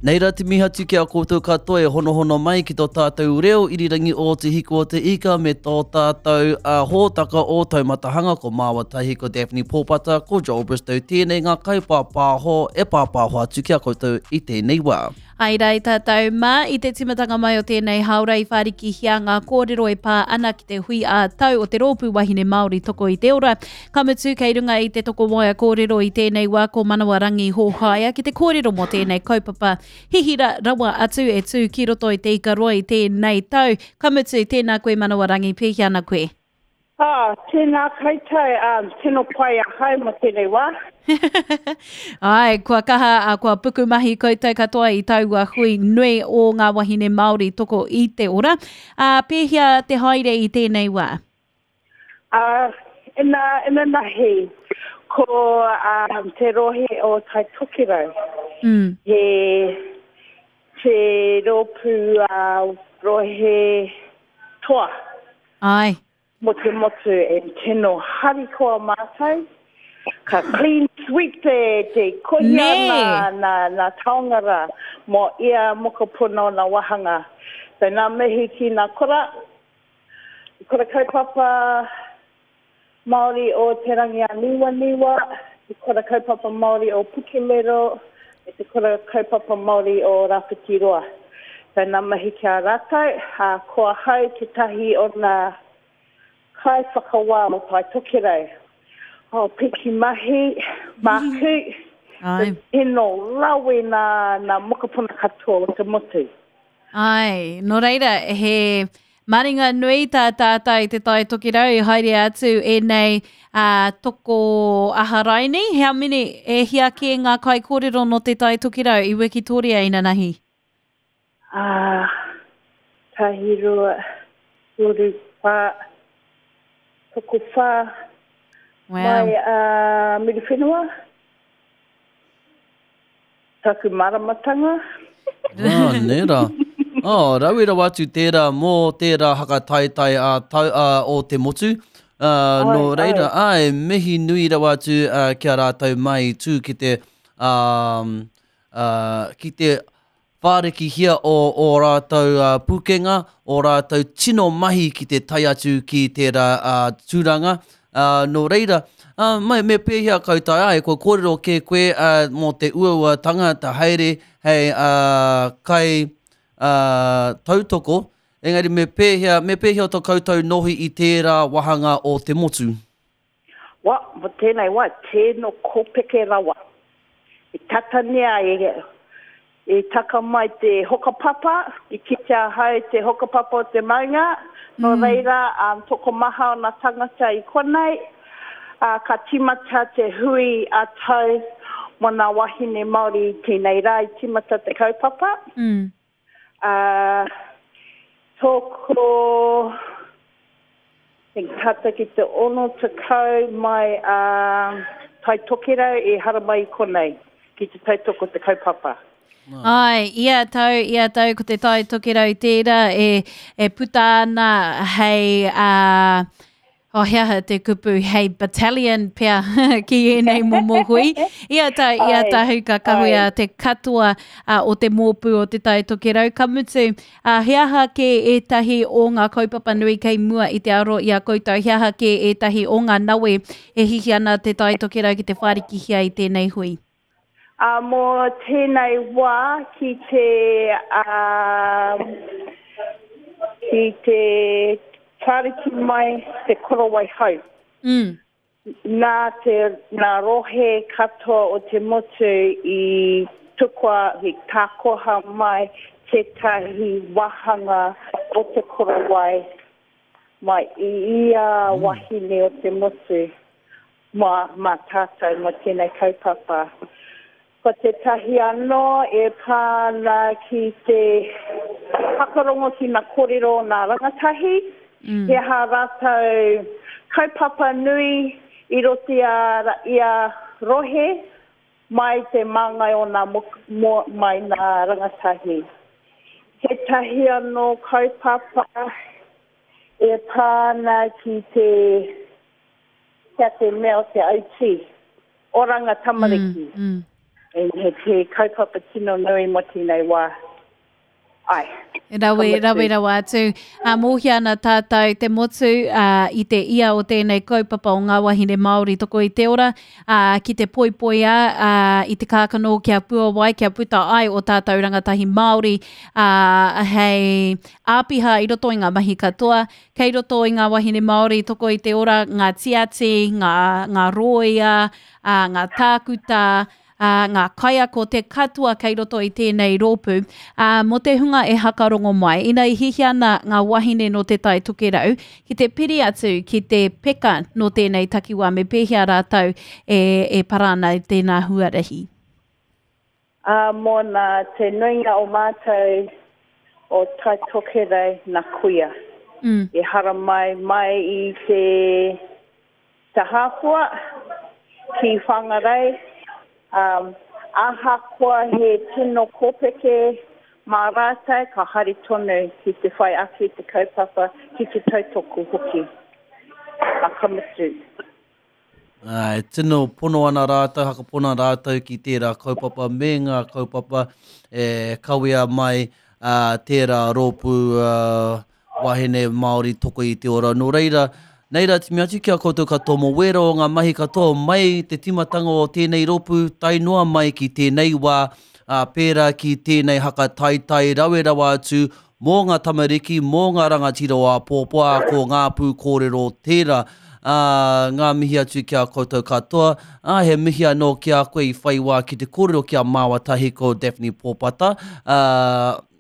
Nei rā te mihi atu ki a koutou katoa e honohono mai ki tō tātou reo irirangi o Te Hiku o Te Ika me tō tātou uh, hōtaka o Taumatahanga ko Māua Tahi, ko Daphne Pōpata, ko Joel Bristow tēnei ngā kaipāpāho e pāpāho atu ki a koutou i tēnei wā. Ai rā i tātou mā, i te tīmatanga mai o tēnei hāora i whārikihia ngā kōrero e pā ana ki te hui ā-tau o te Rōpū Wahine Māori Toko i te Ora. Ka mutu, kei runga i te tokowaea kōrero i tēnei wā ko Manawarangi Hōhaia ki te kōrero mō tēnei kaupapa hihira rawa atu e tū ki roto i Te Ikaroa i tēnei tau. Ka mutu, tēnā koe Manawarangi, pēhea ana koe? Ah, tēnā koutou, um, tino pai ahau mo tēnei wā. Ai, kua kaha, a, kua pukumahi koutou katoa i taua hui nui o ngā wahine Māori toko i te ora. Ā, pēhea te haere i tēnei wā? Ā, ina, inanahi, ko um, te rohe o Tai Tokerau. Mm. He, te rōpū uh, rohe toa. Āe. Mo te motu e tino harikoa mātou. Ka clean sweep te, te kohia nā, nā, nā taonga rā mo ia mokopuna o nā wāhanga. So nā mihi ki nā kura, kura kaupapa Māori o Te Rangiāniwaniwa, te kura kaupapa Māori o Pukemero, me te kura kaupapa Māori o Rawhitiroa. So nā mihi ki a rātou, ā, ko ahau tētahi o nā kaiwhakawā o Tai Tokerau. Oh, piki mahi, māku, Ai. tino rawe nā, nā mokopuna katoa o te motu. Ai, nō reira, he maringa nui tā tātou i Te Tai Tokerau i haere atu ēnei uh, toko aharaini. He amini, e hia kē ngā kaikōrero nō Te Tai Tokerau i Wikitoria inanahi? Ā, tahirua, toru, whā, tokowhā Wow. mai a Muriwhenua. Taku māramatanga. Ah, nē rā. Oh, rawe rawa atu tērā mō tērā haka taetae a tau, a, o te motu. Uh, nō reira, ai, mihi nui rawa atu uh, ki a rātou mai i tū ki te, um, uh, ki te whārikihia o ō rātou pūkenga, ō rātou tino mahi ki te tae atu ki tērā tūranga. Nō reira, mai, me pēhea koutou ai, kua kōrero kē koe mō te uauatanga te haere hei kai tautoko, engari me pēhea, me pēhea tō koutou nohi i tērā wāhanga o te motu? Wa, mo tēnei wa, tēno kōpeke rawa. I tata nea e, i taka mai te hokapapa, i kite ahau te hokapapa o te maunga, nō reira, um, tokomaha o na tangata i konei, a, ka timata te hui a tau mo na wahine Māori i tēnei rā i timata te kaupapa. Mm. A, toko, I tata ki te 60 mai a Tai Tokerau i haramai i konei ki te tautoko te kaupapa. Āe, ia tau, ia tau ko te Tai Tokerau tērā e, e puta ana hei, ā, oh, he aha te kupu, hei battalion pea ki ēnei momo hui. Ia tau, ia tau ka kawea te katoa o te mōpū o te Tai Tokerau. Ka mutu, Ā, he aha kē ētahi o ngā kaupapa nui kei mua i te aro i a koutou? He aha kē ētahi o ngā nawe e hihi ana Te Tai Tokerau ki te whārikihia i tēnei hui? Ā, mō tēnei wā ki te, ā, ki te whāriki mai te korowai hou. Mm. Nā te, nā rohe katoa o te motu i tukua, i tākoha mai tētahi wāhanga o te korowai mai i ia wahine o te motu mā, mā tātou mō tēnei kaupapa. Ko tētahi anō e pā ana ki te whakarongo ki ngā kōrero o ngā rangatahi, he aha rātou kaupapa nui i roto i a ia rohe mai te māngai o ngā mai ngā rangatahi. Tētahi anō kaupapa e pā ana ki te Kia te mea o te autī. Oranga tamariki. He, he kaupapa tino nui mō tēnei wā. Ai. Rawe, rawe rawa atu. Ā, mōhia ana tātou te motu ā, i te ia o tēnei kaupapa o ngā wahine Māori toko i te ora, ā, ki te poipoia ā, i te kākano kia puawai, kia puta ai o tātou rangatahi Māori ā, hei āpiha i roto i ngā mahi katoa. Kei roto i ngā wahine Māori toko i te ora ngā tiati, ngā, ngā rōia, ā, ngā tākuta, ā, ngā kaiako, te katoa kei roto i tēnei rōpū. Ā, mō te hunga e hakarongo mai, ina i hiahia ana ngā wahine nō Te Tai Tokerau ki te piri atu ki te peka nō tēnei takiwā, me pēhea rātou e, e para ana i tēnā huarahi? Ā, mō nā te nuinga o mātou o Tai Tokerau nā kuia. Mm. I haramai mai i te Te Hāpua, ki Whangarei, ā, ahakoa he tino kōpeke mā rātou, ka haere tonu ki te whai ake i te kaupapa, ki te tautoko hoki. Ā, ka mutu. Ā, e tino pono ana rātou, hakapona rātou ki tērā kaupapa me ngā kaupapa e kawea mai ā, tērā rōpū, ā, Wahine Māori toko i te ora. Nō reira, nei rā timi atu ki a koutou katoa mō wēra o ngā mahi katoa mai te timatanga o tēnei rōpū tae noa mai ki tēnei wā, ā, pērā ki tēnei haka taetae rawe rawa atu mō ngā tamariki, mō ngā rangatira o āpōpō, ā, ko ngā pū kōrero tērā. Ā, ngā mihi atu ki a koutou katoa, ā, he mihi anō ki a koe i whai wā ki te kōrero ki a māua tahi ko Daphne Pōpata, ā,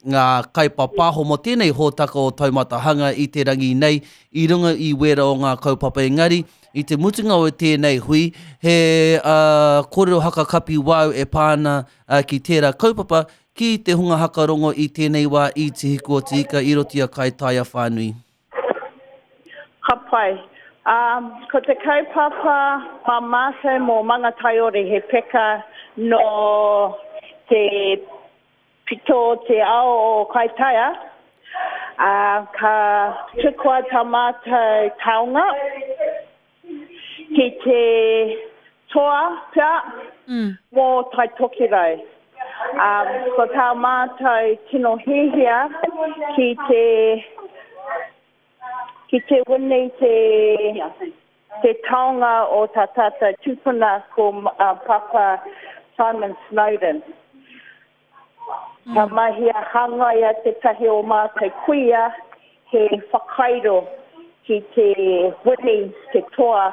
ngā kaipapaho mō tēnei hōtaka o Taumata Hanga i te rangi nei i runga i wēra o ngā kaupapa engari i te mutunga o tēnei hui he uh, kōrero haka kapi wāu e pā ana uh, ki tērā kaupapa ki te hunga haka rongo i tēnei wā i Te Hiku o Te Ika i roto i a Kaitaia whānui. Ka pai. Um, ko te kaupapa mā mātou mō Mangataiore he peka nō te Pito o te ao o Kaitaia, ā, ka tukua tā mātou taonga ki te toa pea mō Tai Tokerau. Ā, ko tā mātou tino hiahia ki te, ki te wini te, te taonga o tā tātou tupuna ko Papa Simon Snowden. Ka mahia hangaia tētahi o mātou kuia he whakairo ki te wini, te toa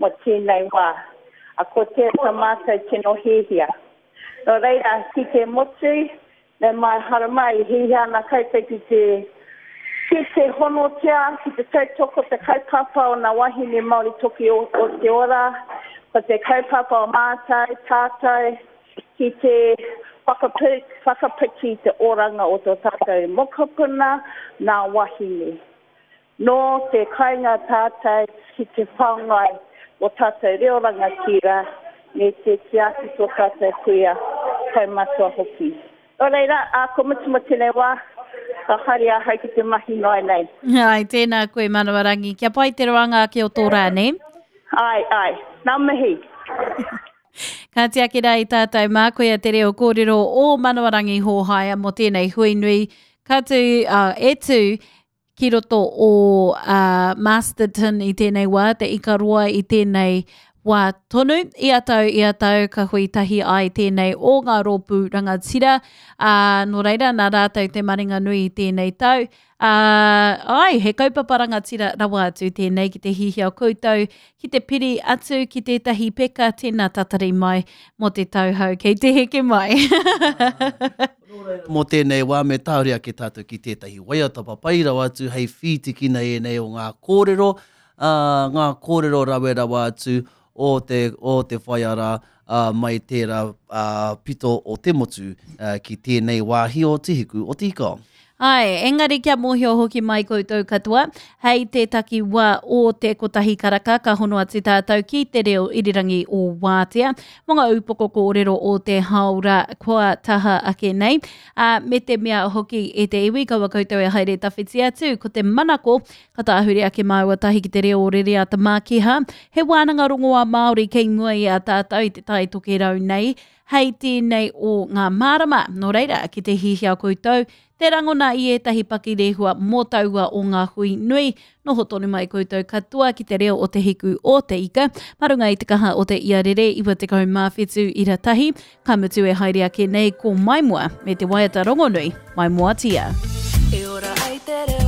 mō tēnei wā. A ko tērā tā mātou tino hiahia. Nō reira, ki te motu, me mai haramai, i hiahia ana koutou ki te ki te honotia, ki te tautoko te kaupapa o nā wahine Māori toki o, o te ora, ko te kaupapa o mātou, tātou, ki te whakapiki i te oranga o tō tātou mokopuna, nā wahine. Nō te kainga tātou ki te whāngai o tātou reo rangatira me te tiaki tō tātou kuia kaumatua hoki. Nō reira, ā, ko mutu mō tēnei wā, ka haere ahau ki te mahi noa nei. Āe, tēnā koe Manawarangi. Kia pai te roanga ake o tō rā, nē? Āe, āe. Ngā mihi. Ka tiaki rā i tātou mā, koia te reo kōrero o Manawarangi Hōhaia mō tēnei hui nui ka tū, uh, e tū ki roto o uh, Masterton i tēnei wā, te Ikaroa i tēnei wā tonu. Ia tau, ia tau, ka hui tahi ai tēnei o ngā rōpū rangatira. Uh, nō reira, nā rātou te maringa nui i tēnei tau. Ā, āe, he kaupapa rangatira rawa atu tēnei ki te hihia koutou ki te piri atu ki tētahi peka, tēnā tatari mai mō te tau hou kei te heke mai. Mō tēnei wā me tahuri ake tātou ki tētahi waiata papai rawa atu hei whītikina ēnei o ngā kōrero, ā, ngā kōrero rawe rawa atu o te, o te whaiara ā, mai tērā ā, pito o te motu ā, ki tēnei wāhi o Te Hiku o Te Ika. Āe, engari kia mōhio hoki mai koutou katoa, hei te takiwā o te kotahi karaka ka hono atu tātou ki te reo irirangi o Wātea mō ngā upoko kōrero o te hāora kua taha ake nei. Ā, me te mea hoki e te iwi, kaua koutou e haere tawhiti atu, ko te manako ka tāhure ake māua tahi ki te reo o Rereata Mākiha, he wānanga rongoā Māori kei mua i a tātou i te Tai Tokerau nei. hei tēnei o ngā marama. Nō reira, ki te hihia koutou, te rangona i ētahi pakirehua mō taua o ngā hui nui, noho tonu mai koutou katoa ki te reo o te hiku o te ika, mā runga i te kaha o te iarere 97 ira tahi, ka mutu e haere ake nei ko Maimoa me te waiata rongonui, Maimoatia. E ora ai te reo.